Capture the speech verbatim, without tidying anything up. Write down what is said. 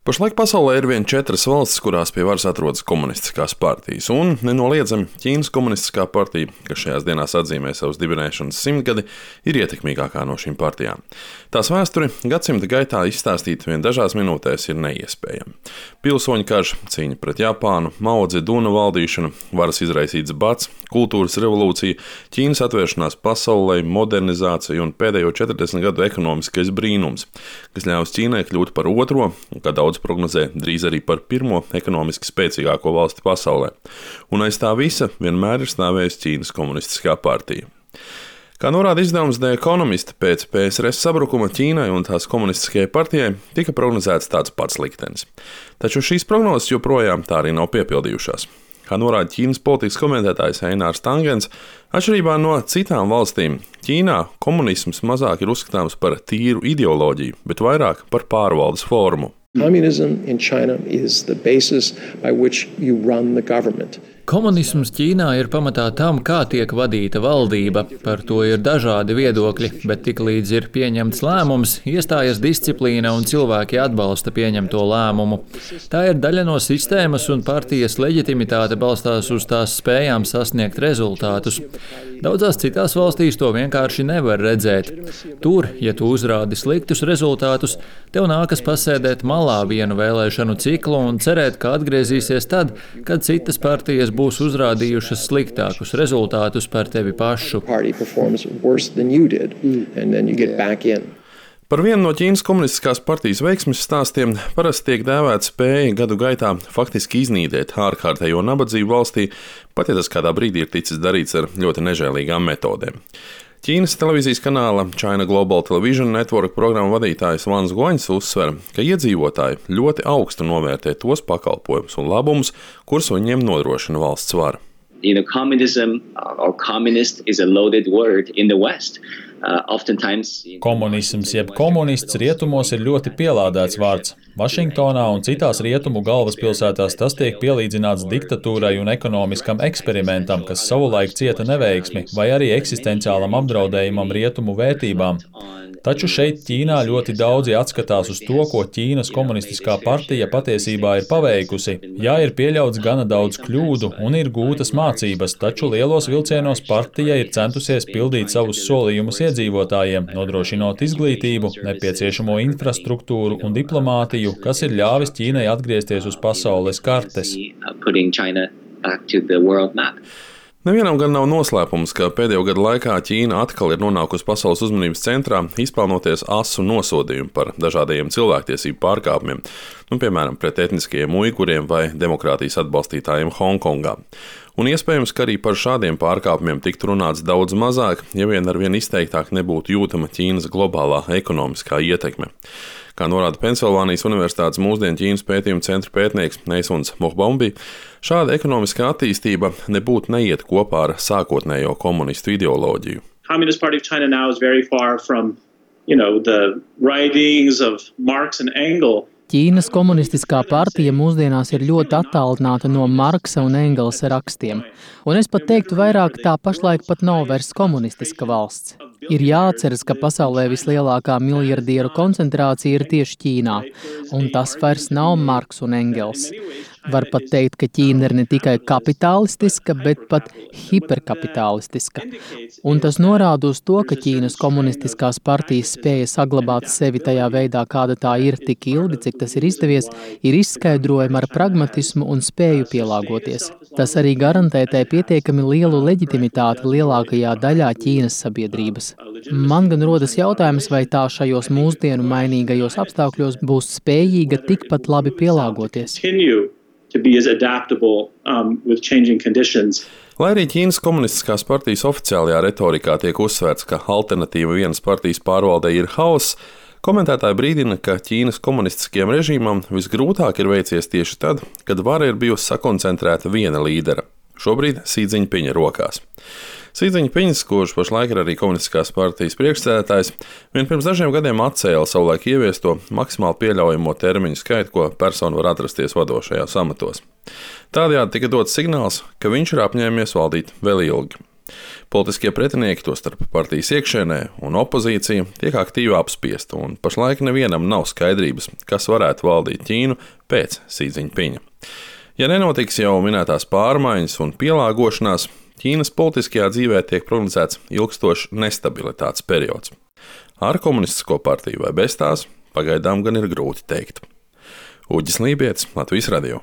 Pašlaik pasaulē ir vien četras valstis, kurās pie varas atrodas komunistiskās partijas, un nenoliedzami Ķīnas komunistiskā partija, kas šajās dienās atzīmē savas dibinēšanas simtgadi, ir ietekmīgākā no šīm partijām. Tās vēsturi gadsimta gaitā izstāstīt vien dažās minūtēs ir neiespējami. Pilsoņu karš, cīņa pret Japānu, Mao Dzeduna valdīšana, varas izraisīts bats, kultūras revolūcija, Ķīnas atvēršanās pasaulē, modernizācija un pēdējo četrdesmit gadu ekonomiskais brīnums, kas ļaus Ķīnai kļūt par otro, un kā daudz prognozē, drīz arī par pirmo ekonomiski spēcīgāko valsti pasaulē. Un aiz tā visa vienmēr ir stāvējusi Ķīnas komunistiskā partija. Kā norāda izdevums The Economist, pēc P S R S sabrukuma Ķīnai un tās komunistiskajai partijai tika prognozēts tāds pats liktenis. Taču šīs prognozes joprojām tā arī nav piepildījušās. Kā norāda Ķīnas politikas komentētājs Einārs Tangens, atšķirībā no citām valstīm, Ķīnā komunisms mazāk ir uzskatāms par tīru ideoloģiju, bet vairāk par pārvaldes formu. Communism in China is the basis by which you run the government. Komunisms Ķīnā ir pamatā tam, kā tiek vadīta valdība. Par to ir dažādi viedokļi, bet tiklīdz ir pieņemts lēmums, iestājas disciplīna un cilvēki atbalsta pieņemto lēmumu. Tā ir daļa no sistēmas, un partijas leģitimitāte balstās uz tās spējām sasniegt rezultātus. Daudzās citās valstīs to vienkārši nevar redzēt. Tur, ja tu uzrādi sliktus rezultātus, tev nākas pasēdēt malā vienu vēlēšanu ciklu un cerēt, ka atgriezīsies tad, kad citas partijas būs uzrādījušas sliktākus rezultātus par tevi pašu. Par vienu no Ķīnas komunistiskās partijas veiksmes stāstiem parasti tiek dēvēta spēja gadu gaitā faktiski iznīdēt ārkārtējo nabadzību valstī, pat ja tas kādā brīdī ir ticis darīts ar ļoti nežēlīgām metodēm. Ķīnas televīzijas kanāla China Global Television Network programmu vadītājs Vans Guaņs uzsver, ka iedzīvotāji ļoti augstu novērtē tos pakalpojumus un labumus, kurus viņiem nodrošina valsts vara. You know, communism or communist is a loaded word in the West. Uh, oftentimes... Komunisms jeb komunists rietumos ir ļoti pielādēts vārds. Vašingtonā un citās rietumu galvaspilsētās tas tiek pielīdzināts diktatūrai un ekonomiskam eksperimentam, kas savulaik cieta neveiksmi, vai arī eksistenciālam apdraudējumam rietumu vērtībām. Taču šeit Ķīnā ļoti daudzi atskatās uz to, ko Ķīnas komunistiskā partija patiesībā ir paveikusi. Jā, ir pieļauts gana daudz kļūdu un ir gūtas mācības, taču lielos vilcienos partija ir centusies pildīt savus solījumus iedzīvotājiem, nodrošinot izglītību, nepieciešamo infrastruktūru un diplomātiju, kas ir ļāvis Ķīnai atgriezties uz pasaules kartes. Nevienam gan nav noslēpums, ka pēdējo gadu laikā Ķīna atkal ir nonākusi pasaules uzmanības centrā, izpelnoties asu nosodījumu par dažādajiem cilvēktiesību pārkāpumiem, nu, piemēram, pret etniskajiem uiguriem vai demokrātijas atbalstītājiem Hongkongā. Un iespējams, ka arī par šādiem pārkāpumiem tiktu runāts daudz mazāk, ja vien ar vien izteiktāk nebūtu jūtama Ķīnas globālā ekonomiskā ietekme. Kā norāda Pensilvānijas Universitātes mūsdienu Ķīnas pētījuma centra pētnieks Neisuns Mohbombi, šāda ekonomiskā attīstība nebūtu neiet kopā ar sākotnējo komunistu ideoloģiju. Communist Party of China now is very far from, you know, the writings of Marx and Engels. Ķīnas komunistiskā partija mūsdienās ir ļoti attālināta no Marksa un Engelsa rakstiem, un es pat teiktu vairāk, tā pašlaik pat nav vairs komunistiska valsts. Ir jāatceras, ka pasaulē vislielākā miljardieru koncentrācija ir tieši Ķīnā, un tas vairs nav Marks un Engels. Var pat teikt, ka Ķīna ir ne tikai kapitalistiska, bet pat hiperkapitalistiska. Un tas norāda uz to, ka Ķīnas komunistiskās partijas spēja saglabāt sevi tajā veidā, kāda tā ir tik ilgi, cik tas ir izdevies, ir izskaidrojama ar pragmatismu un spēju pielāgoties. Tas arī garantē tai pietiekami lielu leģitimitāti lielākajā daļā Ķīnas sabiedrības. Man gan rodas jautājums, vai tā šajos mūsdienu mainīgajos apstākļos būs spējīga tikpat labi pielāgoties. To be as adaptable um, with changing conditions. Lai arī Ķīnas komunistiskās partijas oficiālajā retorikā tiek uzsvērts, ka alternatīva vienas partijas pārvaldei ir hauss, komentētāji brīdina, ka Ķīnas komunistiskajam režīmam visgrūtāk ir veicies tieši tad, kad vara ir bijusi sakoncentrēta viena līdera. Šobrīd Xi Džiņpiņa rokās. Xi Džiņpiņs, kurš pašlaik ir arī komunistiskās partijas priekšsēdētājs, vien pirms dažiem gadiem atcēla savulaik ieviesto maksimāli pieļaujamo termiņu skaitu, ko persona var atrasties vadošajās amatos. Tādējādi tika dots signāls, ka viņš ir apņēmies valdīt vēl ilgi. Politiskie pretinieki, tostarp partijas iekšēnē un opozīcija, tiek aktīvi apspiesti, un pašlaik nevienam nav skaidrības, kas varētu valdīt Ķīnu pēc Xi Jinpinga. Ja nenotiks jau minētās pārmaiņas un pielāgošanās, Ķīnas politiskajā dzīvē tiek prognozēts ilgstošs nestabilitātes periods. Ar komunistisko partiju vai bez tās, pagaidām gan ir grūti teikt. Uģis Lībietis, Latvijas radio.